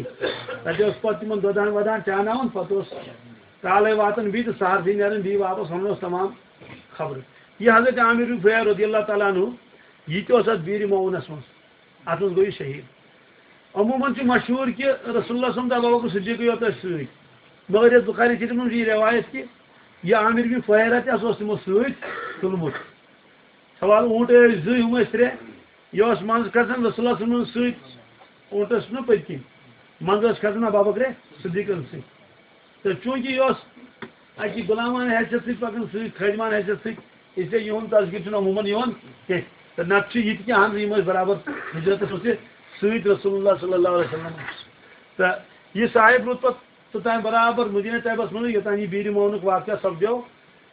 تتہِ اوس پتہٕ تِمن دۄدان ودان چاناوان، پتہٕ اوس کالے واتان بیٚیہِ تہٕ سہرسٕے نیران بیٚیہِ واپس، ونان اوس تمام خبرٕ۔ یہِ حضرت عامر بن فہیر رضی اللہ تعالیٰ عنہ، یہِ تہِ اوس اتھ بیٖرِ معونس منٛز۔ اتھ منٛز گوٚو یہِ شہیٖد۔ عموماً چھُ مشہوٗر کہِ رسول اللہ صلی اللہ علیہ وسلم تہٕ ابو بکر صدیقٕے یوت ٲسۍ سۭتۍ۔ مگر یتھ بخاری شریفس منٛز چھِ یہِ روایت کہِ یہِ عامر بن فہیرہ تہِ ہسا اوس تِمو سۭتۍ تُلمُت۔ سوال، اوٗنٹ ٲسۍ زٕ، ہُم ٲسۍ ترٛےٚ۔ یہِ اوس منٛزٕ کھسان رسول اللہ صلی اللہ علیہ وسلمس سۭتۍ، اوٗنٹس چھُنہ پٔتۍ کِنۍ، منٛزٕ ٲسۍ کھسان ابو بکر صدیقن سۭتۍ۔ تہٕ چوٗنٛکہِ یہِ اوس اَکہِ غلامانہٕ حیثیت سۭتۍ پَکان سۭتۍ، خٲدِمانہٕ حیثیت سۭتۍ، اس لیے یِہُنٛد تذکرٕ چھُنہٕ عموٗماً یِوان کینٛہہ۔ تہٕ نَتہٕ چھِ یہِ تہِ کینٛہہ اَہَن یِم ٲسۍ برابر ہجرتَس منٛز تہِ سۭتۍ رسول اللہ صلی اللہ علیہ وسلم۔ تہٕ یہِ صاحب روٗد پَتہٕ توٚتام برابر مدینہ طیبس منٛز، یوٚتام یہِ بیٖرِ معونُک واقعہ سپدیو۔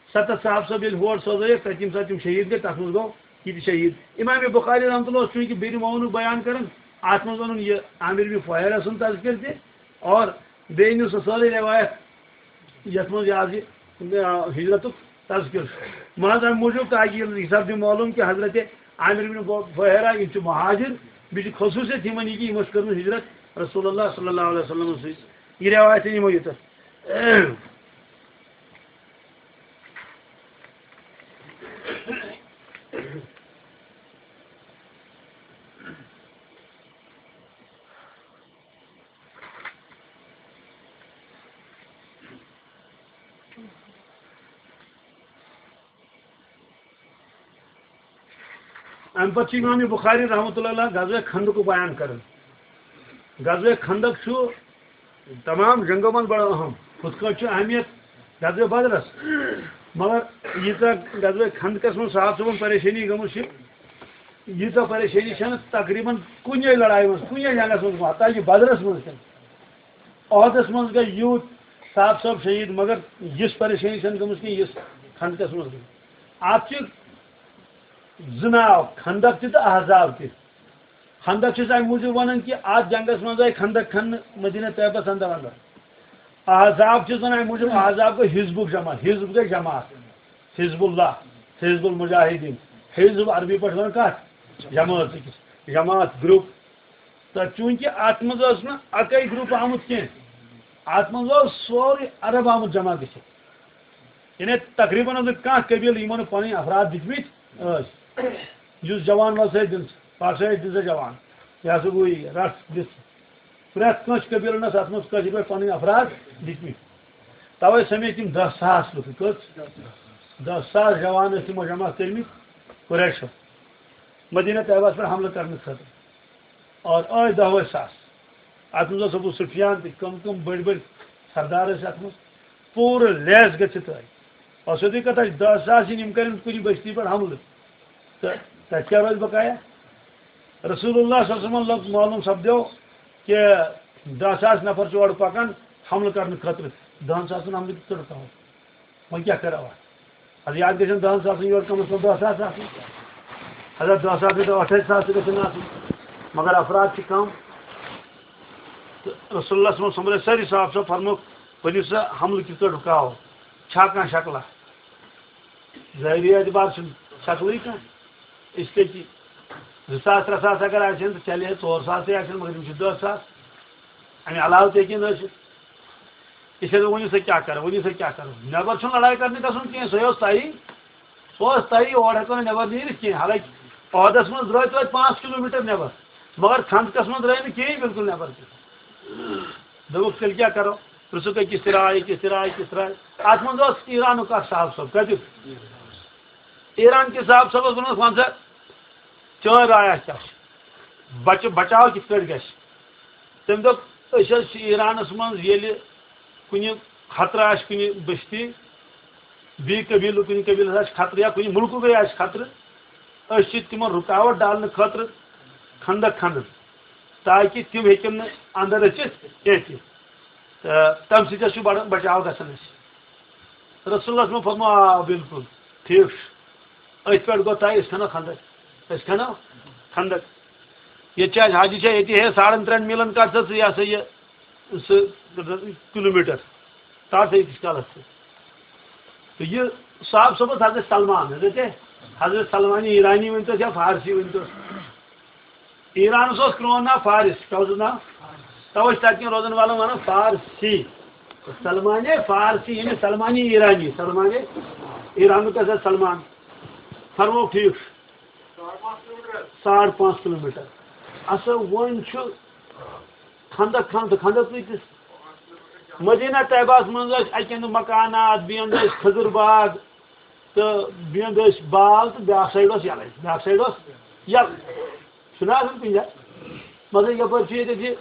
ستتھ صاحب صٲب ییٚلہِ ہور سوزٲیِکھ، تَتہِ ییٚمہِ ساتہٕ تِم شہیٖد گٔے، تَتھ منٛز گوٚو یہِ تہِ شہیٖد۔ امام بخاری رحمتہ اللہ اوس چوٗنٛکہِ بیٖرِ معونُک بیان کران، اَتھ منٛز ووٚنُن یہِ عامر بن فہیرہ سُنٛد تذکر تہِ، اور بیٚیہِ أنِو سۄ سٲرٕے روایت یَتھ منٛز یہِ حظ یہِ، آ، ہجرتُک تذکر چھُ۔ محض اَمہِ موٗجوٗب تاکہِ یہِ حساب دیُن معلوم کہِ حضرت عامر بن فہیرہ یِم چھِ مہاجر، بیٚیہِ چھِ خصوٗصیت یِمن یہِ کہِ یِمو چھِ کٔرمٕژ ہجرت رسول اللہ صلی اللہ علیہ وسلمس سۭتۍ۔ یہِ روایت أنۍ یِمو یوٚتَتھ۔ اَمہِ پتہٕ چھُ امام بخاری رحمتہ اللہ علیہ غزوہ خندقُک بیان کران۔ غزوہ خندق چھُ تمام جنگو منٛز بڑٕ اہم۔ ہُتھ کٲٹھۍ چھُ اہمیت غزوہ بدرس، مگر ییٖژاہ غزوہ خندقس منٛز صاحب صٲبن پریشٲنی گٔمٕژ چھِ، ییٖژاہ پریشٲنی چھَنہٕ تقریباً کُنے لڑایہِ منٛز، کُنے جنگس منٛز گٔمٕژ، حتیٰ کہِ بدرس منٛز تہِ۔ عہدس منٛز گٔے یوٗت صاحب صٲب شہیٖد، مگر یِژھ پریشٲنی چھَنہٕ گٔمٕژ کینٛہہ، یِژھ خندقس منٛز گٔے۔ اَتھ چھِ زٕ ناو، خندق تہِ تہٕ احزاب تہِ۔ خندق چھِس اَمہِ موٗجوٗب وَنان کہِ اَتھ جنگس منٛز آیہِ خندق کھننہٕ مدینہ طیبس اندر اندر۔ احزاب چھِس وَنان اَمہِ موٗجوٗب، احزاب گوٚو حزبُک جمع، حزب گٔے جماعت، حزب اللہ، حزب المجاہدین۔ حزب عربی پٲٹھۍ وَنان کَتھ؟ جمٲژ أکِس، جماعت، گروپ۔ تہٕ چوٗنٛکہِ اَتھ منٛز ٲس نہٕ اَکٕے گروپ آمُت کینٛہہ، اَتھ منٛز اوس سورُے عرب آمُت جمع گٔژھِتھ۔ یعنی تقریباً ٲس نہٕ کانٛہہ قبیٖلہٕ یِمو نہٕ پَنٕنۍ افراد دِتمٕتۍ ٲسۍ۔ یُس جوان وَل سا دِن، پَر سا دِن سا جوان، یہِ ہسا گوٚو یہِ، رَٹھ دِژ۔ پرٛٮ۪تھ کٲنٛسہِ قبیٖلَن ٲس اَتھ منٛز کٲشِرۍ پٲٹھۍ پَنٕنۍ افراد دِتمٕتۍ۔ تَوَے سَمے تِم دَہ ساس لُکھ۔ کٔژ؟ دَہ ساس جوان ٲسۍ تِمو جمع کٔرمٕتۍ قریشو مدینہ طیبہس پٮ۪ٹھ حملہٕ کرنہٕ خٲطرٕ۔ اور ٲے دَہ وُہ ساس۔ اَتھ منٛز اوس ابو سفیان تہِ، کم کم بٔڑۍ بٔڑۍ سردار ٲسۍ اَتھ منٛز۔ پوٗرٕ لیس گٔژھِتھ ٲے۔ اور سیوٚدُے کَتھ، اَسہِ دَہ ساس یِن، یِم کَرن کُنہِ بستی پٮ۪ٹھ حملہٕ۔ تہٕ تَتہِ کیٛاہ روزِ بقایا؟ رسول اللہ صلی اللہ علیہ وسلم لوٚگ معلوم سپدیو کہِ دَہ ساس نفر چھِ اورٕ پَکان حملہٕ کرنہٕ خٲطرٕ۔ دَہَن ساسَن حملہٕ کِتھ کٔنۍ رُکاوو؟ وۄنۍ کیٛاہ کَرو اَتھ؟ اَدٕ یَتھ گژھن دَہَن ساسَن یورٕ کَم از کَم دَہ ساس آسٕنۍ۔ اَدٕ دَہ ساس گٔے، ٲٹھے ساس تہِ گژھن آسٕنۍ۔ مگر افراد چھِ کَم۔ تہٕ رسول اللہ صلی اللہ علیہ وسلم سۄمبرٲے سٲری صاحب صٲب، فرموکھ، ؤنِو سا حملہٕ کِتھ کٔنۍ رُکاوو؟ چھا کانٛہہ شکلہ؟ ظٲہری اعتبار چھُنہٕ شکلٕے کانٛہہ۔ اس لیے کہِ زٕ ساس، ترٛےٚ ساس اگر آسن تہٕ چلے، ژور ساس تہِ آسن، مگر یِم چھِ دَہ ساس۔ اَمہِ علاوٕ تہِ ہیٚکن ٲسِتھ۔ یہِ چھِ ؤنِو سا کیٛاہ کَرو، ؤنِو سا کیٛاہ کَرو۔ نٮ۪بر چھُنہٕ لڑایہِ کرنہِ گژھُن کینٛہہ، سُہ اوس تَیی، سُہ اوس تَیی، اورٕ ہٮ۪کو نہٕ نٮ۪بر نیٖرِتھ کینٛہہ۔ حالانکہِ عہدس منٛز درٛاے توتہِ پانٛژھ کِلوٗ میٖٹر نٮ۪بر، مگر خندقس منٛز درٛاے نہٕ کِہیٖنۍ بِلکُل نٮ۪بر تہِ۔ دوٚپُکھ، تیٚلہِ کیٛاہ کَرو؟ پرٛژھُکھ أکِس تہِ راے، أکِس تہِ راے، أکِس تہِ راے۔ اَتھ منٛز اوس ایرانُک اکھ صاحب صٲب، کَتیُک؟ ایران کِس صاحب صٲبَس ووٚنُس، وَن سا، چٲنۍ راے کیٛاہ چھِ؟ بچہٕ بچاو کِتھ پٲٹھۍ گژھِ؟ تٔمۍ دوٚپ، أسۍ حظ چھِ ایرانَس منٛز ییٚلہِ کُنہِ خطرٕ آسہِ کُنہِ بستی، بیٚیہِ قبیٖلہٕ، کُنہِ قبیٖلَس آسہِ خطرٕ یا کُنہِ مُلکُکٕے آسہِ خطرٕ، أسۍ چھِ تِمَن رُکاوَٹ ڈالنہٕ خٲطرٕ خندق کھنان، تاکہِ تِم ہیٚکن نہٕ اندر أژِتھ کینٛہہ تہِ۔ تہٕ تَمہِ سۭتۍ حظ چھُ بڑٕ بچاو گژھان اَسہِ۔ رسول اللہ صٲبَن فرموو، آ، بِلکُل، ٹھیٖک چھُ۔ أتھۍ پٮ۪ٹھ گوٚو طے، أسۍ کھنو خندق۔ أسۍ کھنو خندق۔ ییٚتہِ چھِ اَسہِ حاجی چھےٚ ییٚتی ہے ساڑن ترٛٮ۪ن میٖلن کَتھ ژٕ، یہِ ہسا یہِ، سُہ کِلوٗ میٖٹر۔ تَتھ أکِس کالَس تہٕ۔ تہٕ یہِ صاحب صٲب اوس حضرت سلمان، حضرت، حضرت سلمان ایرانی ؤنۍتَس یا فارسی ؤنۍتَس۔ ایرانس اوس پرون ناو فارس، کیٛاہ اوسُس ناو؟ توے چھِ تتہِ کٮ۪ن روزن والن ونان فارسی۔ سلمانے فارسی، یعنی سلمانے ایرانی، سلمانے ایرانُک کیٛاہ سا سلمان۔ فرموو ٹھیٖک چھُ۔ ساڑ پانٛژھ کِلوٗ میٖٹر۔ اچھا، وۄنۍ چھُ خندق، خندق، خندق کۭتِس؟ مدینہ طیبہس منٛز ٲسۍ اکہِ اندٕ مکانات، بیٚیہِ اندٕ ٲسۍ کھٔزٕر باغ، تہٕ بیٚیہِ اندٕ ٲسۍ بال، تہٕ بیٛاکھ سایڈ اوس یَلَے، بیٛاکھ سایڈ اوس یَلہٕ۔ چھُنہ آسان کُنہِ جایہِ؟ مطلب، یَپٲرۍ چھُ ییٚتہِ یہِ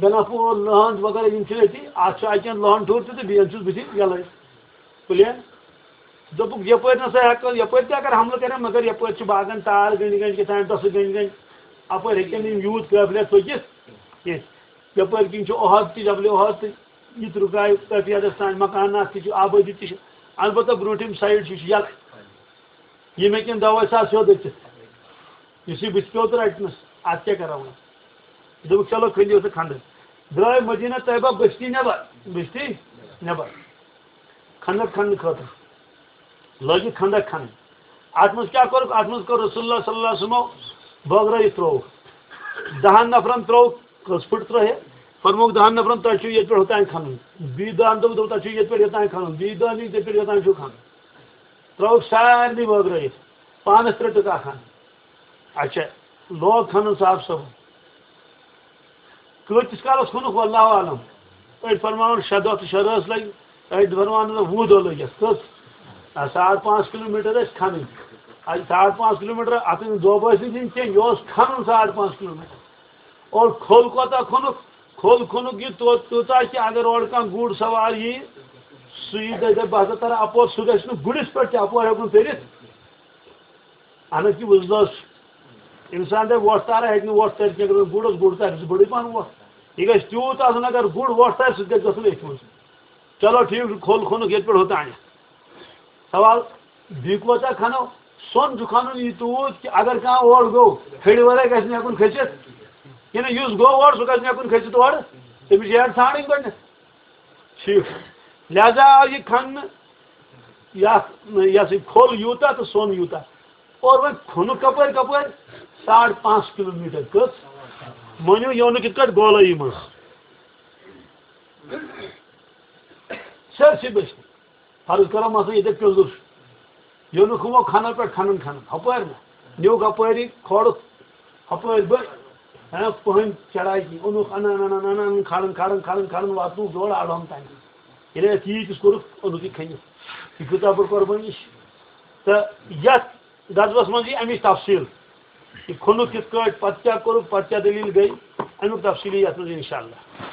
گناہ پوٗر، لٔہَنٛد وغیرہ، یِم چھِ أتی۔ اَتھ چھُ اَتہِ کٮ۪ن لٔہَن ٹھوٚر تہِ تہٕ بیٚیہِ چھُس بٕتھِ یَلَے، پٕلین۔ دوٚپُکھ، یَپٲرۍ نہ سا ہٮ۪کو، یَپٲرۍ تہِ اگر حملہٕ کَرن، مگر یَپٲرۍ چھِ باغَن تار گٔنٛڈۍ گٔنٛڈۍ، کیٛاہ تام ٹۄسہٕ گٔنٛڈۍ گٔنٛڈۍ، اَپٲرۍ ہیٚکن نہٕ یِم یوٗت قٲبلیت پٔکِتھ کینٛہہ۔ یَپٲرۍ کِنۍ چھُ اُحد تہِ، جبلِ اُحد تہِ، یہِ تہِ رُکایہِ کٲفی حدس تام، مکانات تہِ چھِ، آبٲدی تہِ چھِ۔ البتہ برٛونٛٹھِم سایڈ چھُ، یہِ چھُ یَلہٕ۔ ییٚمہِ کِنۍ دَوہَے سا سیوٚد أژِتھ۔ یُس یہِ بٕتھِ پیوٚو تہٕ رَٹنَس، اَتھ کیٛاہ کَرو وۄنۍ؟ دوٚپُکھ، "چلو، کھٔنِو سا خندق۔" درٛاے مدینہ طیبہ بستی نٮ۪بر، بستی نٮ۪بر۔ خندق کھننہٕ خٲطرٕ۔ لٲگِکھ خندق کھنٕنۍ۔ اَتھ منٛز کیٛاہ کوٚرُکھ؟ اَتھ منٛز کوٚر رسول اللہ صلی اللہ علیہ وسلمو بٲگرٲیِتھ ترٛووُکھ۔ دَہَن نفرَن ترٛووُکھ، کٔژ فُٹ ترٛٲوہے؟ فرمووُکھ، دَہَن نفرَن، تۄہہِ چھُو ییٚتہِ پٮ۪ٹھ ہوٚتام کھنُن۔ بیٚیہِ دَہَن دوٚپُکھ، دوٚپُکھ، تۄہہِ چھُو ییٚتہِ پٮ۪ٹھ یوٚتام کھنُن۔ بیٚیہِ دَہَن، ییٚتہِ پٮ۪ٹھ یوٚتام چھُو کھنُن۔ ترٛٲوُکھ سارنٕے بٲگرٲیِتھ۔ پانَس ترٛےٚ ٹُکہٕ اَکھ اَنہٕ۔ اچھا، لوگ کھنُن صاحب صٲب۔ کۭتِس کالَس کھوٚنُکھ، واللہ عالم۔ أڑۍ فرماوان شےٚ دۄہ تہٕ شےٚ رٲژ لَگہِ، أڑۍ فرماوان نہ، وُہ دۄہ لٔگۍ اَتھ۔ کٔژ؟ آ، ساڑ پانٛژھ کِلوٗ میٖٹر ٲسۍ کھنٕنۍ۔ اَتہِ ساڑ پانٛژھ کِلوٗ میٖٹر، اَتھ ٲسۍ نہٕ دۄہ بٲسۍ نہٕ دِنۍ کینٛہہ، یہِ اوس کھنُن ساڑ پانٛژھ کِلوٗ میٖٹر۔ اور کھوٚل کوتاہ کھوٚنُکھ؟ کھوٚل کھوٚنُکھ یہِ تو-، تیوٗتاہ کہِ اگر اورٕ کانٛہہ گُر سوار یی، سُہ یی دَپہِ، دَپہِ، "بہٕ ہسا تَرٕ اَپور"، سُہ گژھِ نہٕ گُرِس پٮ۪ٹھ تہِ اَپور ہٮ۪کُن تٔرِتھ۔ اہن حظ، یہِ وُزلٲژ چھُ۔ اِنسان دَپہِ وۄٹھ تارا، ہیٚکہِ نہٕ وۄٹھ تٲرِتھ کینٛہہ، اگر گُر اوس، گُر تارِ، سُہ بٔڑٕے پَہَن وۄٹھ۔ یہِ گژھِ تیوٗت آسُن، اگر گُر وۄٹھ تارِ، سُہ تہِ گژھِ گژھُن أتھۍ منٛز۔ چلو، ٹھیٖک چھُ، کھوٚل کھوٚنُکھ ییٚتہِ پٮ۪ٹھ ہوٚتانٮ۪تھ۔ سوال، بیٚیہِ کوتاہ کھنو؟ سۄن چھُ کھنُن یہِ تیوٗت کہِ اگر کانٛہہ اورٕ گوٚو، ہیٚرِ ورٲے گژھِ نہٕ ہٮ۪کُن کھٔسِتھ۔ یہِ نہٕ یُس گوٚو اورٕ، سُہ گژھِ نہٕ ہٮ۪کُن کھٔسِتھ اورٕ۔ تٔمِس چھِ ہیٚر ژھانٛڈٕنۍ گۄڈٕنٮ۪تھ۔ ٹھیٖک۔ لہذا آو یہِ کھننہٕ، یَتھ، یہِ ہسا یہِ کھوٚل یوٗتاہ تہٕ سۄن یوٗتاہ۔ اور وۄنۍ کھوٚنُکھ کَپٲرۍ کَپٲرۍ؟ ساڑ پانٛژھ کِلوٗ میٖٹر۔ کٔژ؟ مٲنِو، یہِ اوٚنُکھ یِتھ کٲٹھۍ گولٲیی منٛز۔ سٲرسٕے بٔچھِ۔ فرض کرو مثلاً ییٚتہِ پیوٚنٛدُر چھُ۔ یہِ اوٚنُکھ ہُمو کھنو پٮ۪ٹھ کھنان کھنان۔ ہُپٲرۍ نہ۔ نیوٗکھ اَپٲری، کھولُکھ ہُپٲرۍ بٔچھ۔ ہاں، پٔہنۍ چڑایہِ کِنۍ۔ اوٚنُکھ اَنان، اَنان، اَنان، کھالان، کھالان، کھالان، کھالان، واتنووُکھ یور اَڑہوم تام۔ ییٚلہِ اَتھ ییٖتِس کوٚرُکھ، اوٚنُکھ یہِ کھٔنِتھ۔ یہِ کۭژاہ بٔڑ قۄربٲنی چھِ۔ تہٕ یَتھ غزوَس منٛز یی اَمِچ تفصیٖل۔ یہِ کھوٚنُکھ کِتھ کٲٹھۍ، پَتہٕ کیٛاہ کوٚرُکھ، پَتہٕ کیٛاہ دٔلیٖل گٔے، اَمیُک تفصیٖل یی یَتھ منٛز اِنشاء اللہ۔